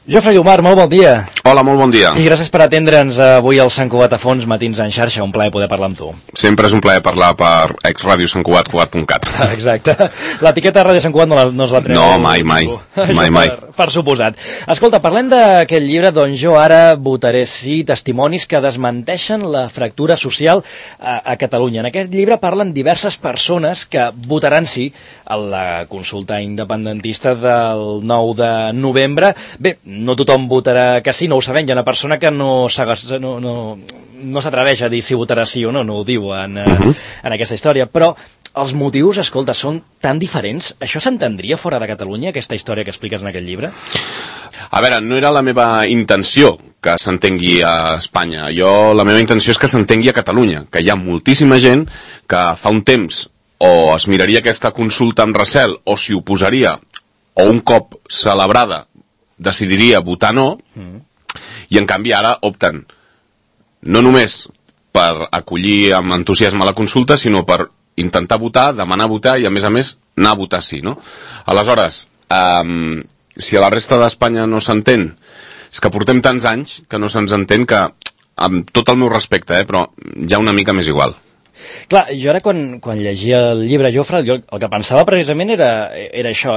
Jofre Llomar, molt bon dia. Hola, molt bon dia. I gràcies per atendre'ns avui al Sant Cugat a fons, matins en xarxa. Un plaer poder parlar amb tu. Sempre és un plaer parlar per exradio Sant Cugat, cugat.cat. Exacte. L'etiqueta Ràdio Sant Cugat no es la treu. No, mai. Per suposat. Escolta, parlem d'aquest llibre, doncs jo ara votaré sí, testimonis que desmenteixen la fractura social a Catalunya. En aquest llibre parlen diverses persones que votaran sí a la consulta independentista del 9 de novembre. Bé, no tothom votarà que sí, no ho sabem. Hi ha una persona que no s'atreveix a dir si votarà sí o no ho diu en aquesta història, però els motius, escolta, són tan diferents. Això s'entendria fora de Catalunya, aquesta història que expliques en aquest llibre? A veure, no era la meva intenció que s'entengui a Espanya. La meva intenció és que s'entengui a Catalunya, que hi ha moltíssima gent que fa un temps o es miraria aquesta consulta amb recel o s'hi oposaria, o un cop celebrada decidiria votar no, i en canvi ara opten no només per acollir amb entusiasme la consulta, sinó per intentar votar, demanar votar i a més anar a votar sí, no? Aleshores, si a la resta d'Espanya no s'entén, és que portem tants anys que no se'ns entén que, amb tot el meu respecte, però ja una mica més igual. Clar, jo ara quan llegia el llibre, Jofre, el que pensava precisament era això,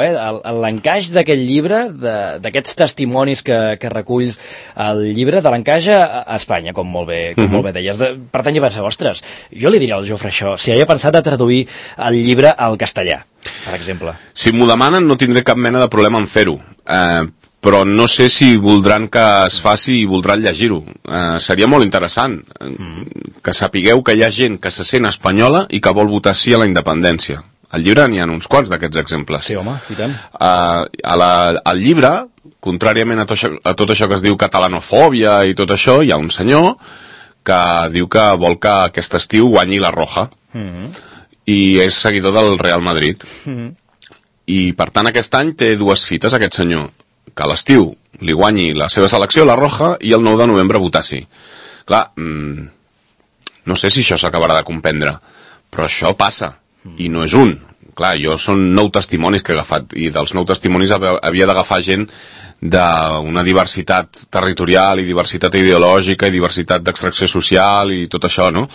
l'encaix d'aquest llibre, d'aquests testimonis que reculls el llibre, de l'encaix a Espanya, com molt bé deies. Per tant, jo pensava, ostres, jo li diria al Jofre això, si havia pensat de traduir el llibre al castellà, per exemple. Si m'ho demanen no tindré cap mena de problema en fer-ho, però no sé si voldran que es faci i voldran llegir-ho. Seria molt interessant que sapigueu que hi ha gent que se sent espanyola i que vol votar sí a la independència. Al llibre n'hi ha uns quants d'aquests exemples. Sí, home, i tant. Al llibre, contràriament a tot això que es diu catalanofòbia i tot això, hi ha un senyor que diu que vol que aquest estiu guanyi la Roja. I és seguidor del Real Madrid. I per tant aquest any té dues fites, aquest senyor, que a l'estiu li guanyi la seva selecció, la Roja, i el 9 de novembre votar sí. Clar, no sé si això s'acabarà de comprendre, però això passa, i no és un. Clar, són 9 testimonis que he agafat, i dels 9 testimonis havia d'agafar gent d'una diversitat territorial i diversitat ideològica i diversitat d'extracció social i tot això, no?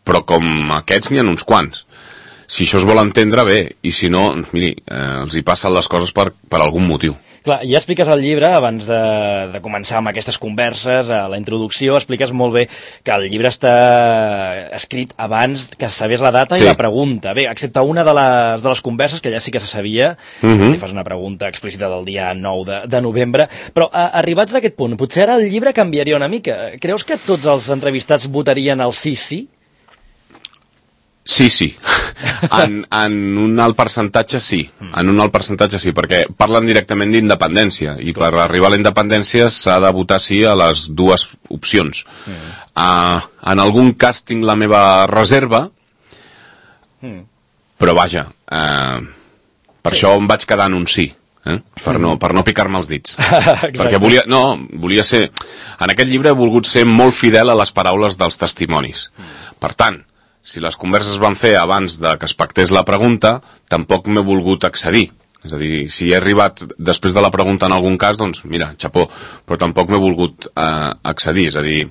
Però com aquests n'hi ha uns quants. Si això es vol entendre, bé, i si no, miri, els hi passen les coses per algun motiu. Clar, ja expliques al llibre, abans de començar amb aquestes converses, a la introducció, expliques molt bé que el llibre està escrit abans que se sabés la data i la pregunta. Bé, excepte una de les converses, que ja sí que se sabia, li fas una pregunta explícita del dia 9 de novembre, però arribats a aquest punt, potser ara el llibre canviaria una mica. Creus que tots els entrevistats votarien el sí? Sí. En un alt percentatge sí. En un alt percentatge sí, perquè parlen directament d'independència i per arribar a la independència s'ha de votar sí a les dues opcions. En algun cas tinc la meva reserva, però vaja, per això em vaig quedar en un sí. Per no picar-me els dits. Perquè volia ser... En aquest llibre he volgut ser molt fidel a les paraules dels testimonis. Per tant, si les converses van fer abans de que es pactés la pregunta, tampoc m'he volgut accedir. És a dir, si he arribat després de la pregunta en algun cas, doncs mira, xapó, però tampoc m'he volgut accedir. És a dir,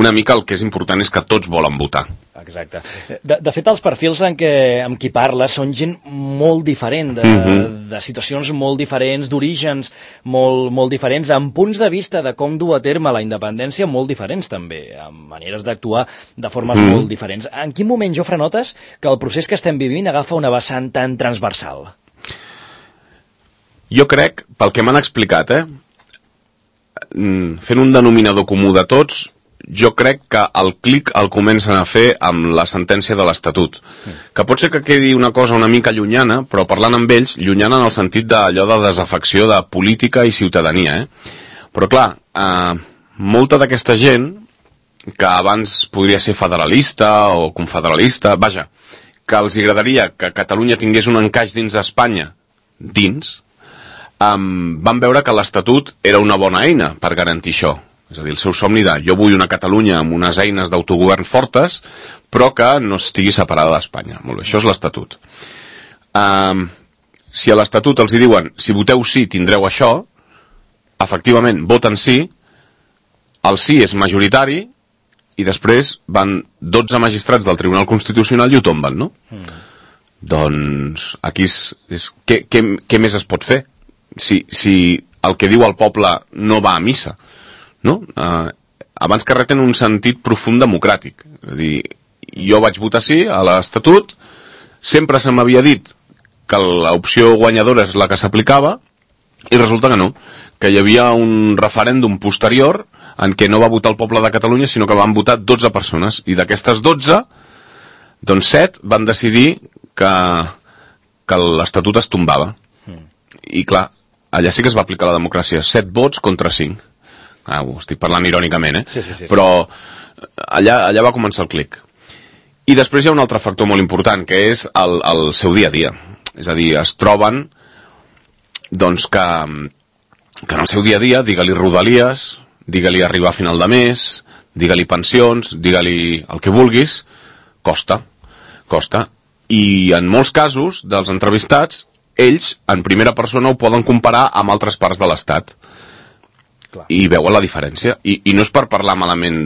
una mica el que és important és que tots volen votar. Exacte. De fet, els perfils amb qui parles són gent molt diferent, de situacions molt diferents, d'orígens molt diferents, amb punts de vista de com dur a terme la independència molt diferents també, amb maneres d'actuar de formes molt diferents. En quin moment, Jofre, notes que el procés que estem vivint agafa una vessant tan transversal? Jo crec, pel que m'han explicat, fent un denominador comú de tots, jo crec que el clic el comencen a fer amb la sentència de l'Estatut. Que pot ser que quedi una cosa una mica llunyana, però parlant amb ells, llunyana en el sentit d'allò de desafecció de política i ciutadania. Però clar, molta d'aquesta gent, que abans podria ser federalista o confederalista, vaja, que els agradaria que Catalunya tingués un encaix dins d'Espanya, van veure que l'Estatut era una bona eina per garantir això. És a dir, el seu somni de jo vull una Catalunya amb unes eines d'autogovern fortes, però que no estigui separada d'Espanya. Molt bé, això és l'Estatut. Si a l'Estatut els hi diuen si voteu sí tindreu això, efectivament voten sí, el sí és majoritari i després van 12 magistrats del Tribunal Constitucional i ho tomben, no? Doncs aquí què més es pot fer? Si el que diu el poble no va a missa, no? Abans que res tenen un sentit profund democràtic. És a dir, jo vaig votar sí a l'Estatut, sempre se m'havia dit que l'opció guanyadora és la que s'aplicava i resulta que no, que hi havia un referèndum posterior en què no va votar el poble de Catalunya sinó que van votar 12 persones i d'aquestes 12 doncs 7 van decidir que l'Estatut es tombava i clar, allà sí que es va aplicar la democràcia, 7 vots contra 5. Ho estic parlant irònicament, sí. Però allà va començar el clic. I després hi ha un altre factor molt important, que és el seu dia a dia. És a dir, es troben doncs que en el seu dia a dia, digue-li rodalies, digue-li arribar a final de mes, digue-li pensions, digue-li el que vulguis, costa. I en molts casos dels entrevistats, ells, en primera persona, ho poden comparar amb altres parts de l'Estat. Clar. I veuen la diferència. I no és per parlar malament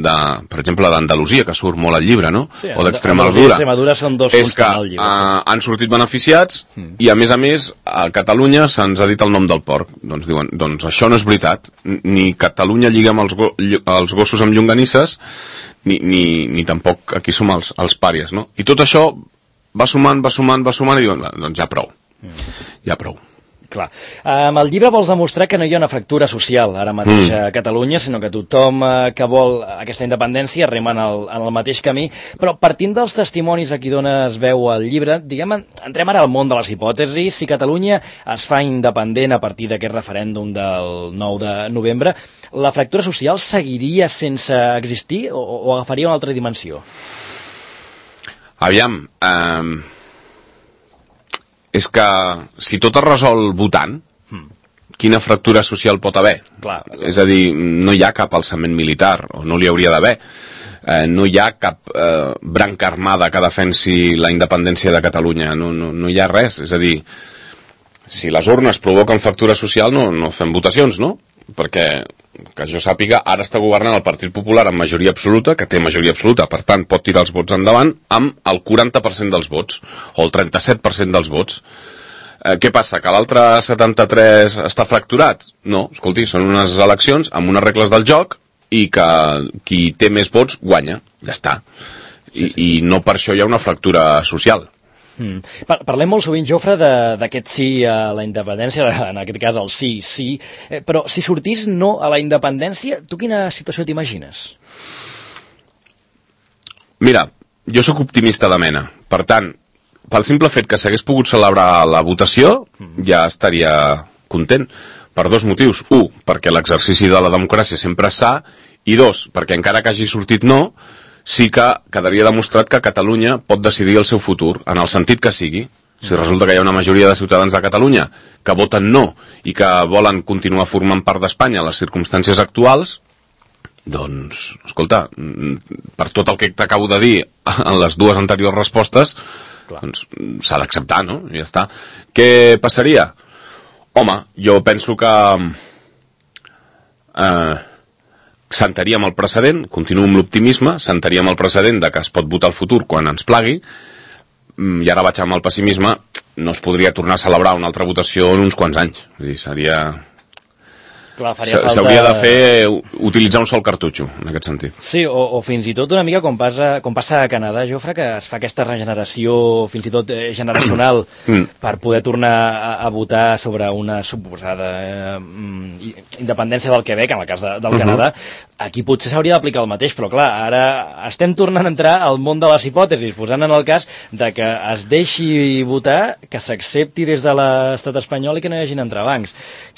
per exemple, d'Andalusia, que surt molt al llibre, no? Sí, o d'Extremadura. Extremadura són dos és que llibre, han sortit beneficiats i, a més, a Catalunya se'ns ha dit el nom del porc. Doncs diuen, doncs això no és veritat. Ni Catalunya lliga amb els gossos amb llonganisses, ni tampoc aquí som els pàries, no? I tot això va sumant i diuen, doncs ja prou. Ja prou. Clar. Amb el llibre vols demostrar que no hi ha una fractura social ara mateix a Catalunya, sinó que tothom que vol aquesta independència rema en el mateix camí, però partint dels testimonis a qui dones veu al llibre, diguem, entrem ara al món de les hipòtesis. Si Catalunya es fa independent a partir d'aquest referèndum del 9 de novembre, la fractura social seguiria sense existir o agafaria una altra dimensió? Aviam, és que si tot es resol votant, quina fractura social pot haver? Clar. És a dir, no hi ha cap alçament militar, o no li hauria d'haver. No hi ha cap branca armada que defensi la independència de Catalunya. No hi ha res. És a dir, si les urnes provoquen fractura social, no fem votacions, no? Perquè, que jo sàpiga, ara està governant el Partit Popular amb majoria absoluta, que té majoria absoluta, per tant pot tirar els vots endavant amb el 40% dels vots, o el 37% dels vots. Què passa, que l'altre 73 està fracturat? No, escolti, són unes eleccions amb unes regles del joc i que qui té més vots guanya, ja està. I no per això hi ha una fractura social. Parlem molt sovint, Jofre, d'aquest sí a la independència, en aquest cas el sí, però si sortís no a la independència, tu quina situació t'imagines? Mira, jo sóc optimista de mena, per tant, pel simple fet que s'hagués pogut celebrar la votació, ja estaria content, per dos motius. Un, perquè l'exercici de la democràcia sempre és sa, i dos, perquè encara que hagi sortit no, sí que quedaria demostrat que Catalunya pot decidir el seu futur, en el sentit que sigui. Si resulta que hi ha una majoria de ciutadans de Catalunya que voten no i que volen continuar formant part d'Espanya en les circumstàncies actuals, doncs, escolta, per tot el que t'acabo de dir en les dues anteriors respostes, doncs s'ha d'acceptar, no? I ja està. Què passaria? Home, jo penso que sentaríem el precedent, continuo amb l'optimisme, sentaríem el precedent de que es pot votar el futur quan ens plagui, i ara vaig amb el pessimisme, no es podria tornar a celebrar una altra votació en uns quants anys. Vull dir, seria... S'hauria de fer utilitzar un sol cartutxo, en aquest sentit. Sí, o fins i tot una mica com passa a Canadà, Jofre, que es fa aquesta regeneració fins i tot generacional per poder tornar a votar sobre una suposada independència del Quebec, en el cas del Canadà. Aquí potser s'hauria d'aplicar el mateix, però clar, ara estem tornant a entrar al món de les hipòtesis, posant en el cas de que es deixi votar, que s'accepti des de l'estat espanyol i que no hi hagin entrebancs.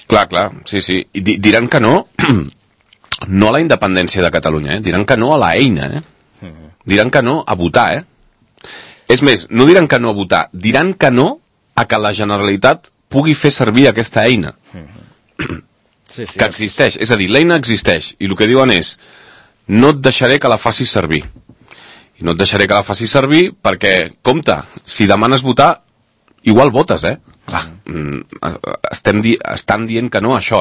Clar, sí. I diran que no a la independència de Catalunya, diran que no a la eina, diran que no a votar, És més, no diran que no a votar, diran que no a que la Generalitat pugui fer servir aquesta eina. Que existeix, és a dir, l'eina existeix, i el que diuen és, no et deixaré que la facis servir. I no et deixaré que la facis servir perquè, compte, si demanes votar, igual votes, Clar, estan dient que no a això,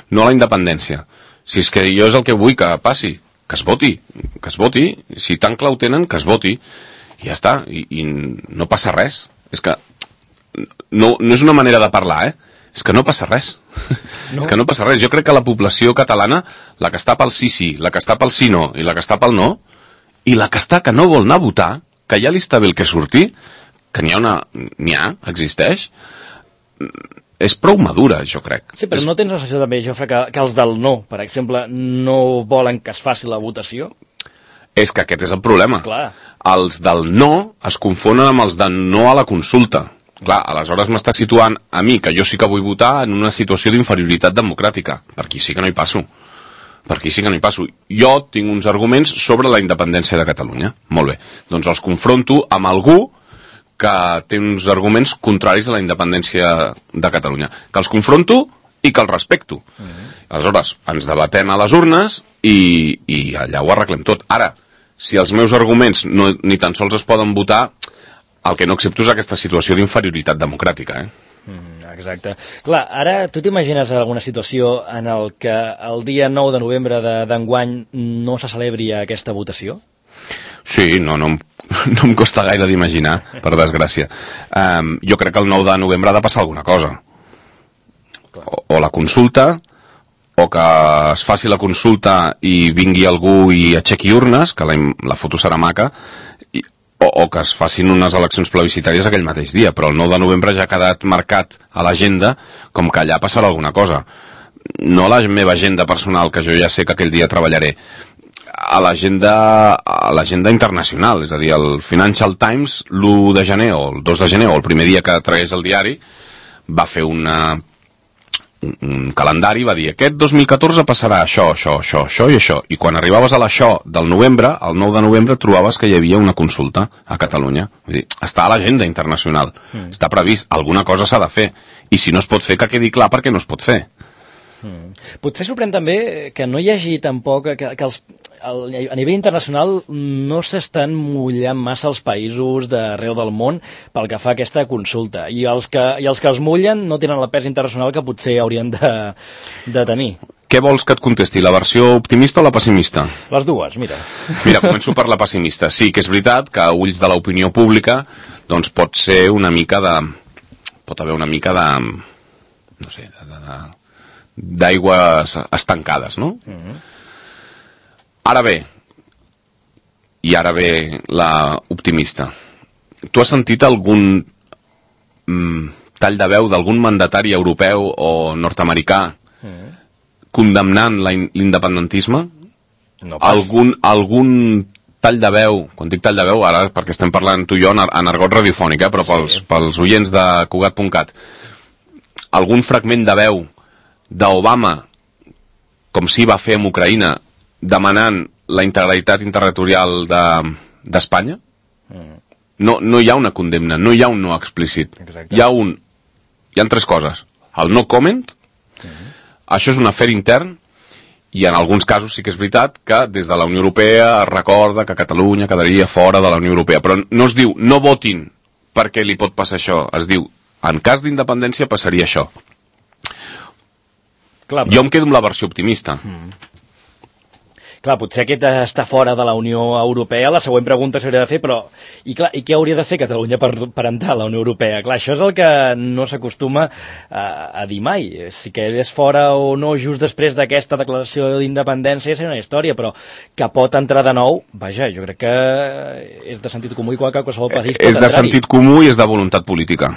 no a la independència. Si és que jo és el que vull que passi, que es voti, si tan clar ho tenen, que es voti, i ja està, i no passa res. És que no és una manera de parlar, és que no passa res. No. És que no passa res. Jo crec que la població catalana, la que està pel sí, la que està pel sí no, i la que està pel no, i la que està que no vol anar a votar, que ja li està bé el que surti, que existeix, és prou madura, jo crec. Sí, però no tens la sensació també, Jofre, que els del no, per exemple, no volen que es faci la votació? És que aquest és el problema. Clar. Els del no es confonen amb els de no a la consulta. Clar, aleshores m'està situant a mi, que jo sí que vull votar, en una situació d'inferioritat democràtica. Per aquí sí que no hi passo. Jo tinc uns arguments sobre la independència de Catalunya. Molt bé. Doncs els confronto amb algú que té uns arguments contraris a la independència de Catalunya. Que els confronto i que els respecto. Aleshores, ens debatem a les urnes i allà ho arreglem tot. Ara, si els meus arguments ni tan sols es poden votar, el que no accepto és aquesta situació d'inferioritat democràtica, Exacte. Clar, ara tu t'imagines alguna situació en el que el dia 9 de novembre d'enguany no se celebri aquesta votació? Sí, no em costa gaire d'imaginar, per desgràcia. Jo crec que el 9 de novembre ha de passar alguna cosa. O la consulta, o que es faci la consulta i vingui algú i aixequi urnes, que la foto serà maca, o que es facin unes eleccions plebiscitàries aquell mateix dia, però el 9 de novembre ja ha quedat marcat a l'agenda com que allà passarà alguna cosa. No a la meva agenda personal, que jo ja sé que aquell dia treballaré, a l'agenda internacional, és a dir, el Financial Times l'1 de gener o el 2 de gener o el primer dia que tragués el diari va fer un calendari, va dir aquest 2014 passarà això i això, i quan arribaves a l'això del novembre, el 9 de novembre trobaves que hi havia una consulta a Catalunya. Vull dir, està a l'agenda internacional, està previst, alguna cosa s'ha de fer, i si no es pot fer, que quedi clar perquè no es pot fer. Potser sorprèn també que no hi hagi tampoc, que a nivell internacional no s'estan mullant massa els països d'arreu del món pel que fa a aquesta consulta, i els que els mullen no tenen la pes internacional que potser haurien de tenir. Què vols que et contesti, la versió optimista o la pessimista? Les dues, mira. Mira, començo per la pessimista. Sí que és veritat que a ulls de l'opinió pública doncs pot ser una mica de... pot haver una mica de... no sé, d'aigües estancades, no? Ara ve la optimista. Tu has sentit algun tall de veu d'algun mandatari europeu o nord-americà condemnant l'independentisme? No pas. Algun tall de veu, quan dic tall de veu, ara perquè estem parlant tu i jo en argot radiofònic, però pels oients de Cugat.cat, algun fragment de veu d'Obama, com s'hi va fer amb Ucraïna, demanant la integritat territorial d'Espanya? No hi ha una condemna, no hi ha un no explícit. Hi ha tres coses. El no comment, això és un afer intern, i en alguns casos sí que és veritat que des de la Unió Europea es recorda que Catalunya quedaria fora de la Unió Europea, però no es diu no votin perquè li pot passar això, es diu en cas d'independència passaria això. Clar, però... Jo em quedo amb la versió optimista. Clar, potser aquest està fora de la Unió Europea, la següent pregunta s'hauria de fer, però... I què hauria de fer Catalunya per entrar a la Unió Europea? Clar, això és el que no s'acostuma a dir mai. Si quedés fora o no just després d'aquesta declaració d'independència és una història, però que pot entrar de nou, vaja, jo crec que és de sentit comú i qualsevol país pot entrar-hi. És de sentit comú i és de voluntat política.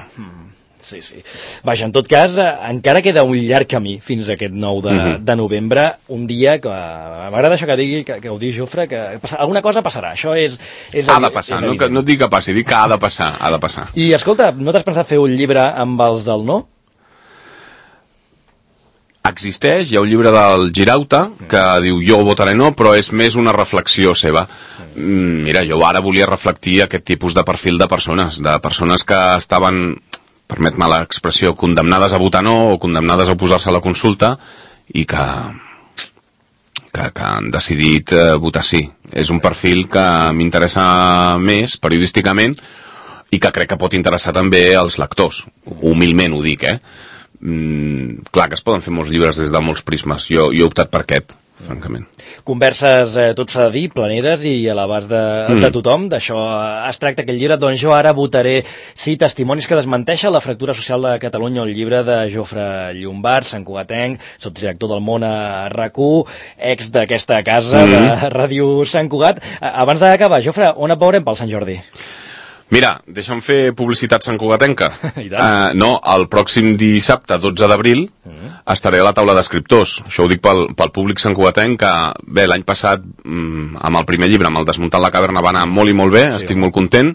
Sí. Vaja, en tot cas, encara queda un llarg camí fins a aquest 9 de novembre, un dia que m'agrada això que ho digui Jofre, que alguna cosa passarà, això és ha de passar, no et dic que passi, dic que ha de passar. I escolta, no t'has pensat fer un llibre amb els del no? Existeix, hi ha un llibre del Girauta que diu jo votaré no, però és més una reflexió seva. Mira, jo ara volia reflectir aquest tipus de perfil de persones que estaven, permet-me l'expressió, condemnades a votar no o condemnades a oposar-se a la consulta i que han decidit votar sí. És un perfil que m'interessa més periodísticament i que crec que pot interessar també als lectors. Humilment ho dic, Clar que es poden fer molts llibres des de molts prismes. Jo he optat per aquest, francament. Converses, tot s'ha de dir, planeres i a l'abast de tothom. D'això es tracta aquest llibre. Doncs jo ara votaré testimonis que desmenteixen la fractura social de Catalunya, el llibre de Jofre Llombart, santcugatenc, sotsdirector del Món a RAC1, ex d'aquesta casa de Ràdio Sant Cugat. Abans d'acabar, Jofre, on et veurem pel Sant Jordi? Mira, deixa'm fer publicitat santcugatenca. No, el pròxim dissabte, 12 d'abril, estaré a la taula d'escriptors. Això ho dic pel públic santcugatenc, que bé, l'any passat, amb el primer llibre, amb el Desmuntant la caverna, va anar molt i molt bé, estic molt content.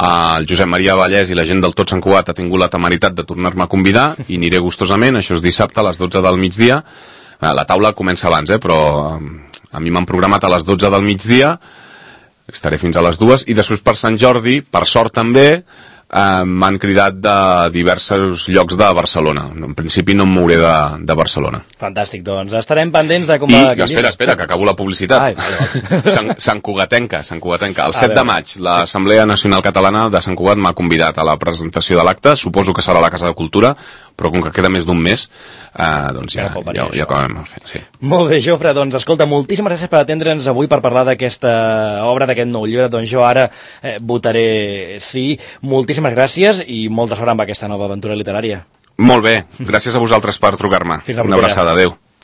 El Josep Maria Vallès i la gent del Tot Sant Cugat ha tingut la temeritat de tornar-me a convidar i aniré gustosament. Això és dissabte a les 12 del migdia. La taula comença abans, però a mi m'han programat a les 12 del migdia. Estaré fins a les 2 i després per Sant Jordi, per sort també, m'han cridat de diversos llocs de Barcelona. En principi no em mouré de Barcelona. Fantàstic, doncs estarem pendents de com va... I espera, que acabo la publicitat. Santcugatenca. El 7 de maig, l'Assemblea Nacional Catalana de Sant Cugat m'ha convidat a la presentació de l'acte. Suposo que serà a la Casa de Cultura, però com que queda més d'un mes, doncs ja acabem el fet. Sí. Molt bé, Jofre, doncs escolta, moltíssimes gràcies per atendre'ns avui per parlar d'aquesta obra, d'aquest nou llibre. Doncs jo ara votaré sí. Moltíssimes gràcies i molta sort amb aquesta nova aventura literària. Molt bé, gràcies a vosaltres per trucar-me. Fins la propera. Una abraçada, adeu.